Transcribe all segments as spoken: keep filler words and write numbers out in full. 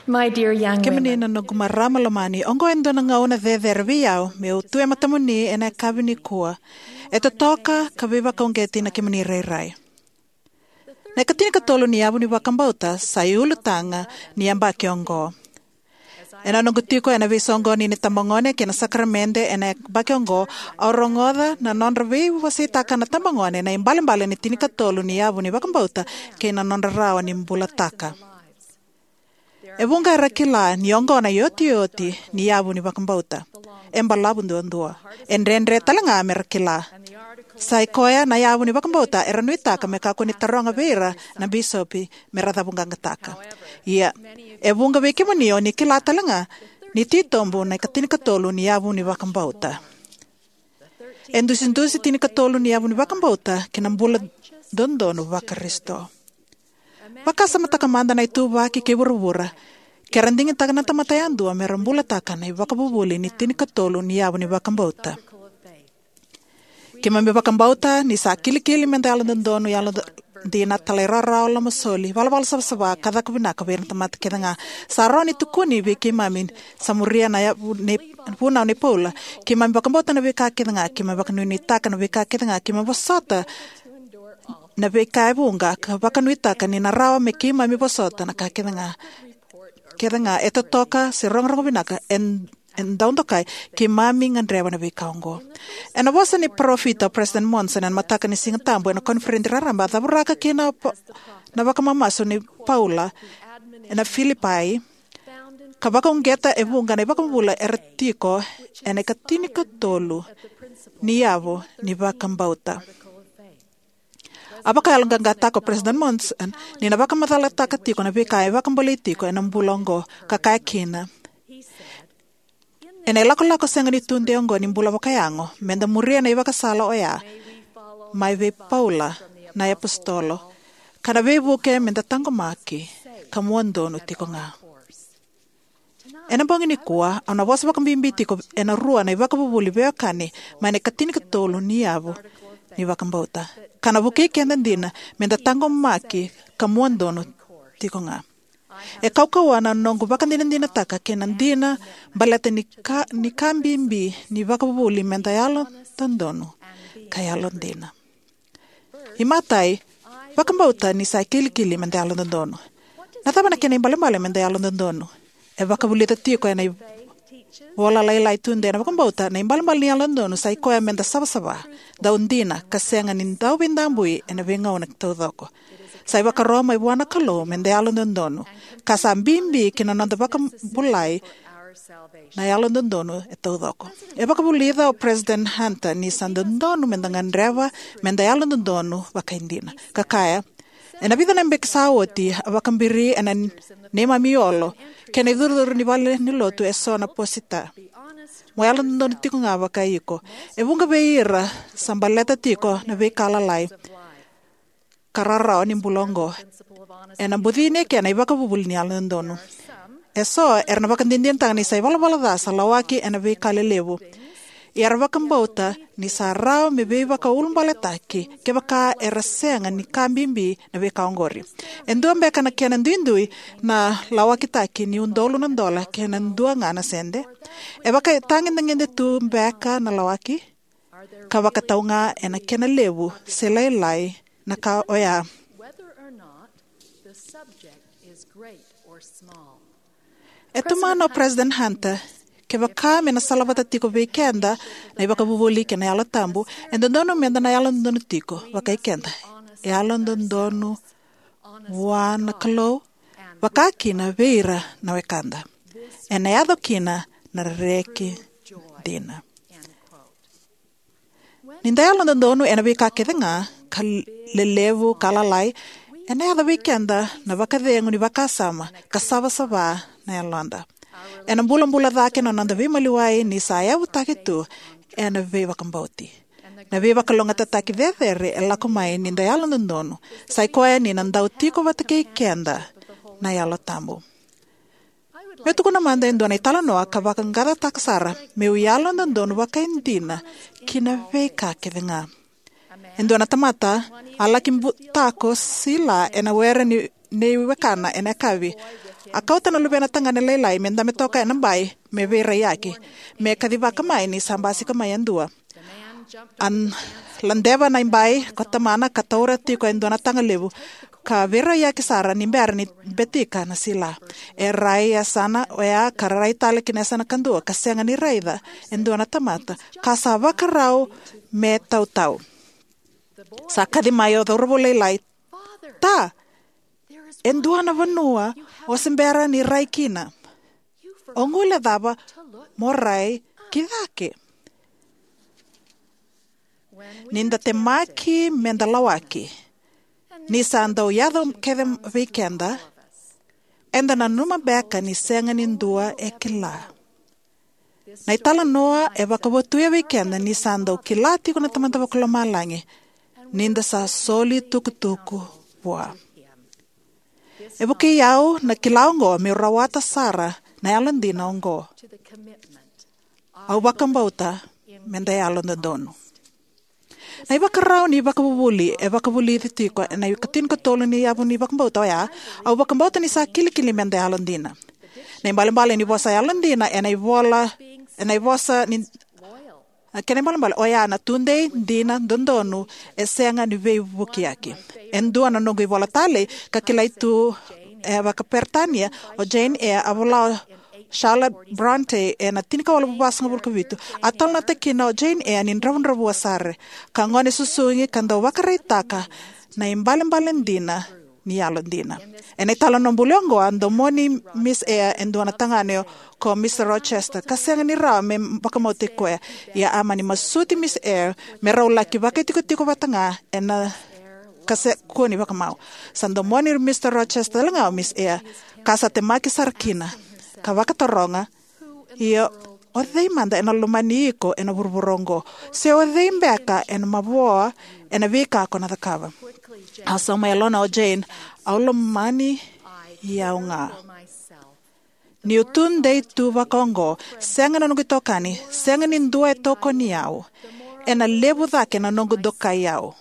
My dear young Kemuni women, na noqu marama lomani, oqo e dua na gauna cecere vei au meu tu e matamuni ena yakavi nikua. E totoka ka veivakauqeti na kemuni rairai. Na ikatinikatolu ni yavu ni vakabauta sa iulutaga ni yabaki oqo. Ena noqu tiko ena veisoqoni ni tabagone kei na sakaramede ena yabaki oqo, au rogoca na nodra veiwaseitaka na tabagone na ibalebale ni tinikatolu ni yavu ni vakabauta kei na nodra rawa ni bulataka. E vuqa era kila ni oqo na iotioti ni yavu ni vakabauta. E balavu duadua. E dredre tale ga mera kila. Sa i koya na yavu ni vakabauta era nuitaka me kakua ni taroga vei ira na bisopi mera cavuqaqataka. Ia, e vuqa vei kemuni o ni kila tale ga ni titobu na ikatinikatolu ni yavu ni vakabauta. E dusidusi tinikatolu ni yavu ni vakabauta ki na bula dodonu Vakarisito. Vakasamataka mada na ituvaki kei vuravura ke ra digitaka na tamata yadua mera bulataka na ivakavuvuli ni tinikatolu ni yavu ni vakabauta. Keimami vakabauta ni sa kilikili meda yalododonu, yalodina, talairawarawa, lomasoli, valavala savasava, ka caka vinaka vei ira na tamata kece ga. Sa rawa ni tukuni vei keimami, sa muria na yavu nei, vunau nei Paula. Keimami vakabauta na veika kece ga, keimami vakanuinuitaka na veika kece ga, keimami vosota na veika e vuqa, ka vakanuitaka ni na rawa me keimami vosota na ka kece ga. Kece ga e totoka se rogorogo vinaka, e, e dau dokai, keimami gadreva na veika oqo. Ena vosa ni parofita o President Monson ena mataka ni Siga Tabu ena koniferedi raraba, a cavuraka kina na vakamamasu nei Paula ena Filipai, ka vakauqeta e vuqa na ivakavuvuli era tiko ena ikatinikatolu ni yavu ni vakabauta. A vakayaloqaqataka o President Monson ni na vakamacalataka tiko na veika e vakabolei tiko ena bula oqo, ka kaya kina: Ena ilakolako sega ni tudei oqo ni bula vakayago, meda muria na ivakasala oya mai vei Paula na iapositolo, ka na veivuke meda taqomaki ka muadonu tiko ga. Ena bogi nikua, au na vosa vakabibi tiko ena rua na ivakavuvuli veiwekani mai na ikatinikatolu ni yavu ni vakabauta, ka na vukei keda dina meda taqomaki ka muadonu tiko ga. E kaukauwa na noqu vakadinadinataka kei na dina baleta ni ka, ni ka bibi ni vakavuvuli meda yalododonu ka yalodina. Imatai, vakabauta ni sa kilikili meda yalododonu. Na cava na kena ibalebale meda yalododonu? E vakavulica tiko ena ivola lailai tudei na vakabauta na ibalebale ni yalododonu sa i koya meda savasava, dau dina, ka sega ni dau veidabui ena veigauna taucoko. Sa ivakaro mai vua na Kalou meda yalododonu, ka sa bibi ki na noda vakabulai na yalododonu e taucoko. E vakavulica o President Hunter ni sa dodonu meda gadreva meda yalododonu vakaidina. Ka kaya, ena vica na yabaki sa oti, a vakabiri ena neimami olo kei na icurucuru ni valenilotu eso na posita: Mo yalododonu tiko ga vakai iko. E vuqa vei ira sa baleta tiko na veika lalai ka rarawa ni bula oqo. Ena bucini eke na ivakavuvuli ni yalododonu. Eso era na vakadinadinataka ni sa ivalavala ca sa lawaki ena veika lelevu. Ia era vakabauta ni sa rawa me veivakaulubaletaki kevaka era sega ni ka bibi na veika oqori. E dua beka na kena duidui na lawakitaki ni udolu na dola kei na dua ga na sede? E vakatagedegede tu beka na lawaki? Ka vakatau ga ena kena levu se lailai na ka oya. E tomana o President Hunter, kevaka me na salavata tiko vei keda na ivakavuvuli kei na Yalo Tabu, e dodonu meda na yalododonu tiko vakai keda. E yalododonu vua na Kalou, vakakina vei ira na wekada. Ena yaco kina na reki dina. Ni da yalododonu ena veika kece ga, ka lelevu ka lalai, ena yaco vei keda na vakacegu ni vakasama ka savasava na yaloda. Ena bulabula cake na noda veimaliwai ni sa yavutaki tu ena veivakabauti. Na veivakalougatataki cecere e lako mai ni da yalododonu, sa i koya ni na dau tiko vata kei keda na Yalo Tabu. Meu tukuna mada e dua na italanoa ka vaqaqacotaka sara meu yalododonu vakaidina ki na veika kece ga. E dua na tamata a laki butako sila ena were ni, nei wekana ena yakavi. A kauta na luvena tagane lailai me dabe toka ena bai me veiraiyaki, me kacivaka mai ni sa basika mai e dua. A n-, ladeva na ibai ko tamana ka taura tiko e dua na taga levu, ka veiraiyaki sara ni bera ni betika na sila. E rai e yasana oya ka rai tale ki na yasana kadua ka sega ni raica e dua na tamata, ka sa vakarau me tautau. Sa kaci mai o cauravou lailai, "Ta, e dua na vanua o se bera ni rai kina. O guilecava mo rai ki cake." Ni da temaki me da lawaki ni sa dau yaco kece vei keda, eda nanuma beka ni sega ni dua e kila. Na italanoa e vakavotuya vei keda ni sa dau kila tiko na Tamada Vakalomalagi ni da sa soli tukutuku vua. E vukei au na kila oqo meu rawata sara na yalodina oqo. Au vakabauta me da yalododonu. Na ivakarau ni vakavuvuli e vakavulici tiko ena ikatinikatolu ni yavu ni vakabauta oya, "Au vakabauta ni sa kilikili me da yalodina." Na ibalebale ni vosa yalodina ena ivola, ena ivosa ni, na kena ibalebale oya na tudei, dina, dodonu, e sega ni veivukiyaki. E dua na noqu ivola talei ka kilai tu e vakaperitania, o Jane Eyre, a vola o Charlotte Bronte ena tinikawalu vasagavulu ka vitu. A talanoataka kina o Jane Eyre ni dravudravua sara, ka gone susugi ka dau vakaraitaka na ibalebale dina ni yalodina. Ena italanoa buli oqo, a domoni Miss Eyre e dua na tagane ko Mister Rochester, ka sega ni rawa me vakamautaki koya. Ia a mani masuti Miss Eyre me rau laki vakaitikotiko vata ga ena ka se kua ni vakamau. Sa domoni Mister Rochester talega o Miss Eyre, ka sa temaki sara kina, ka vakataroga, "Ia, o cei mada ena lomani iko ena vuravura oqo? Se o cei beka ena mavoa ena veika ko na cakava?" A sauma e yalona o Jane, "Au lomani au ga. Niu tudei tu vaka oqo, sega na noqu itokani, sega ni dua e tokoni au, ena levu cake na noqu dokai au.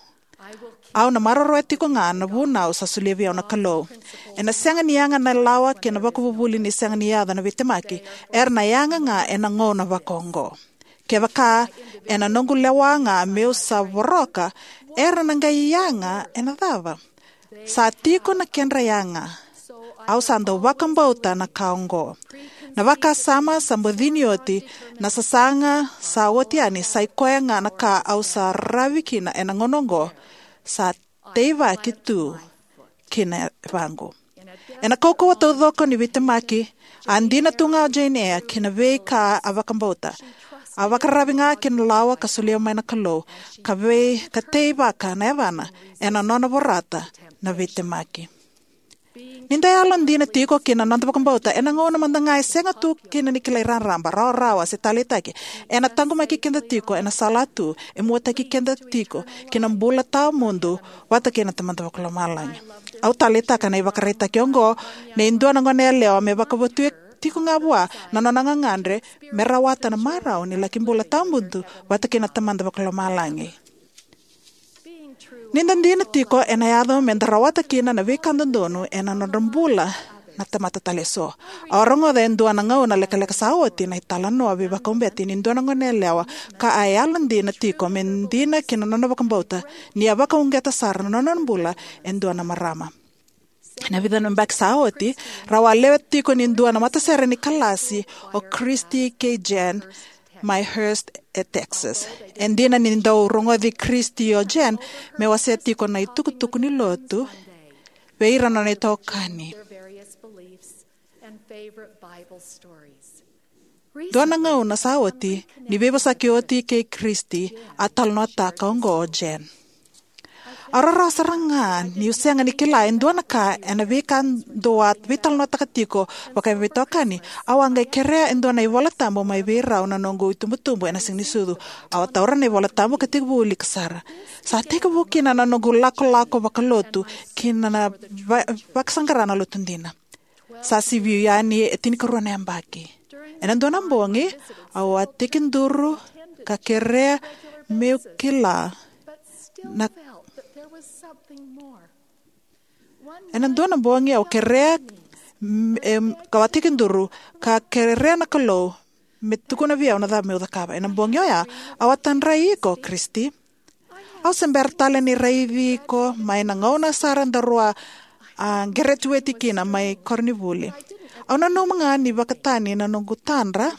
Au na maroroya tiko ga na vunau sa solia vei au na Kalou. Ena sega ni yaga na lawa kei na vakavuvuli ni sega ni yaco na veitemaki, era na yaga ga ena gauna vaka oqo. Kevaka ena noqu lewa ga meu sa voroka, era na qai yaga ena cava? Sa tiko na kedra yaga. Au sa dau vakabauta na ka oqo. Na vakasama sa bucini oti, na sasaga sa oti yani, sa i koya ga na ka au sa ravi kina ena gauna oqo, sa teivaki tu kina vaqo." Ena kaukauwa taucoko ni veitemaki, a dina tu ga o Jane Eyre ki na veika a vakabauta. A vakararavi ga ki na lawa ka solia mai na Kalou, ka vei, ka teivaka na yavana ena nona vorata na veitemaki. Ni da yalodina tiko ki na noda vakabauta ena gauna mada ga e sega tu kina ni kilai raraba, rawarawa se taleitaki, ena taqomaki keda tiko ena sala tu e muataki keda tiko ki na bula tawamudu vata kei na Tamada Vakalomalagi. Au taleitaka na ivakaraitaki oqo nei dua na goneyalewa me vakavotuya tiko ga vua na nona gagadre me rawata na marau ni laki bula tawamudu vata kei na Tamada Vakalomalagi. Ni da dina tiko, ena yaco me da rawata kina na veika dodonu ena nodra bula na tamata tale eso. Au a rogoca e dua na gauna lekaleka sa oti na italanoa veivakauqeti ni dua na goneyalewa ka a yalodina tiko me dina ki na nona vakabauta, ni a vakauqeta sara na nona bula e dua na marama. Ena vica na yabaki sa oti, rau a lewe tiko ni dua na matasere ni kalasi o Christy kei Jen mai Hurst e Texas. E dina ni dau rogoci Christy o Jen me wasea tiko na itukutuku ni lotu vei ira na nona itokani. Dua na gauna sa oti, ni veivosaki oti kei Christy, a talanoataka oqo o Jen. Au rarawa sara ga niu sega ni kila e dua na ka ena veika dou a veitalanoataka tiko vakaveitokani. Au a qai kerea e dua na iVola Tabu mai vei rau na noqu itubutubu ena Siganisucu. Au a taura na iVola Tabu ka tekivu wilika sara. Sa tekivu kina na noqu lakolako vakalotu ki na va-, vakasaqara na lotu dina. Sa sivi yani e tinikarua na yabaki. Ena dua na bogi, au a tekiduru ka kerea meu kila na, ena dua na bogi au kerea m-, em, ka au a tekiduru, ka kerea na Kalou me tukuna vei au na cava meu cakava. Ena bogi oya, au a tadrai iko, Kristi. Au se bera tale ni raici iko mai na gauna sara daru a, a, geretiweti kina mai koronivuli. Au nanuma ga ni vakatani na noqu tadra.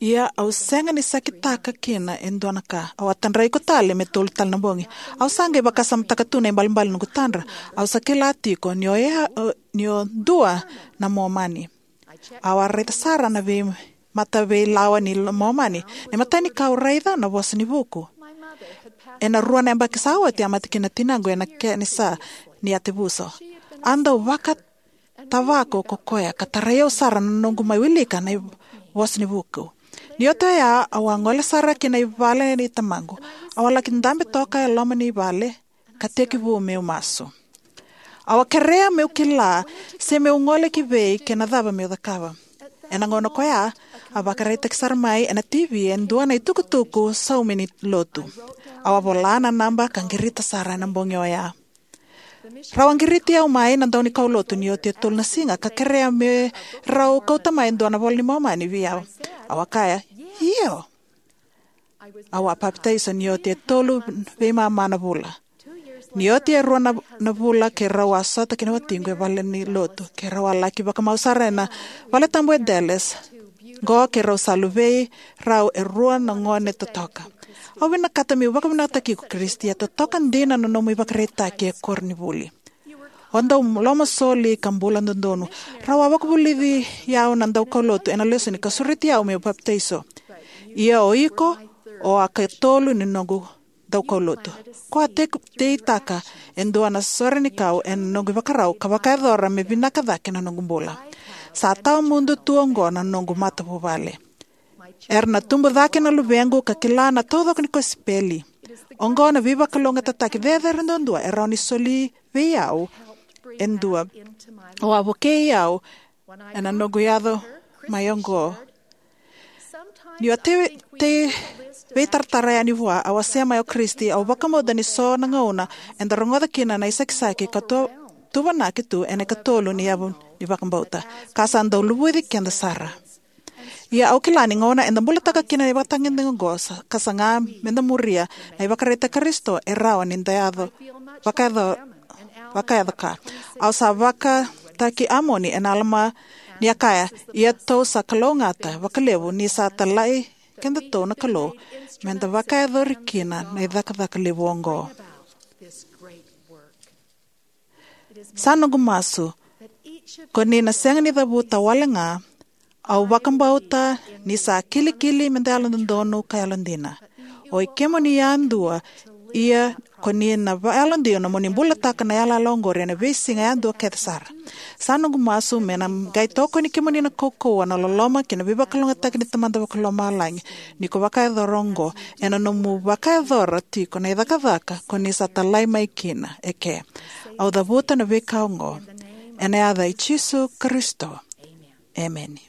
Ia au sega ni sakitaka kina e dua na ka. Au a tadrai iko tale me tolu tale na bogi. Au sa qai vakasamataka tu na ibalebale ni noqu tadra. Au sa kila tiko ni o ya, ni o dua na Momani. Au a raica sara na vei, mataveilawa ni Momani. Na imatai ni ka au raica na Vosa ni Vuku. Ena rua na yabaki sa oti a mate kina na tinaqu ena kenisa ni yatevuso. A dau vakatavako ko koya ka tarai au sara na noqu mai wilika na i-, Vosa ni Vuku. Ni oti oya, au a gole sara ki na i vale ni tamaqu. Au a laki dabe toka e loma ni vale ka tekivu meu masu. Au a kerea meu kila se meu gole ki vei kei na cava meu cakava. Ena gauna koya, a vakaraitaki sara mai ena T V e dua na itukutuku saumi ni lotu. Au a vola na naba ka qirita sara ena bogi oya. Rau a qiriti au mai na dau ni kaulotu ni oti e tolu na siga ka kerea me rau kauta mai e dua na iVola ni Momani vei au. Au a kaya, "Io." Au a papitaiso ni oti e tolu veimama na vula. Ni oti e rua na, na vula keirau a sota kei na watiqu e vale ni lotu. Keirau a laki vakamau sara ena vale tabu e Dallas. Qo keirau sa luvei rau e rua na gone totoka. Au vinakata meu vakavinakataki iko, Kristi, e totoka dina na nomu ivakaraitaki e koronivuli. O dau lomasoli ka bula dodonu. Rau a vakavulici au na daukaulotu ena lesoni ka sureti au meu papitaiso. Ia o iko, o a katolu ni noqu daukaulotu. Ko a tek-, teitaka e dua na sore ni kau ena noqu ivakarau ka vakayacora me vinaka cake na noqu bula. Sa tawamudu tu oqo na noqu matavuvale. Era na tubu cake na luvequ ka kila na taucoko ni kosipeli. Oqo na veivakalougatataki cecere duadua e rawa ni soli vei au e dua. Au a vukei au ena noqu yaco mai oqo. Niu a tei, tei veitaratara yani vua, au a sema o Kristi, au vakabauta ni so na gauna eda rogoca kina na isakisaki ka tu, tuvanaki tu ena ikatolu ni yavu ni vakabauta. Ka sa dau luvuci keda sara. Ia au kila ni gauna eda bulataka kina na ivakatagedegede oqo sa, ka saga meda muria na ivakaraitaki Karisito, e rawa ni da yaco, vakayaco, vakayaco ka. Au sa vakataki Amoni ena Alama ni a kaya, "Ia tou sa kalougata vakalevu ni sa talai kedatou na Kalou meda vakayacori kina na icakacaka levu oqo." Sa noqu masu ko ni na sega ni cavuta wale ga. Au vakabauta ni sa kilikili meda yalododonu ka yalodina. O i kemuni yadua, ia ko ni na va-, yalodina mo ni bulataka na yalayala oqori ena veisiga yadua kece sara. Sa noqu masu me na qai tokoni kemuni na kaukauwa, na loloma kei na veivakalougatataki ni Tamada Vakalomalagi ni ko vakayacora oqo ena nomu vakayacora tiko na icakacaka ko ni sa talai mai kina eke. Au cavuta na veika oqo ena yaca i Jisu Karisito. Emeni.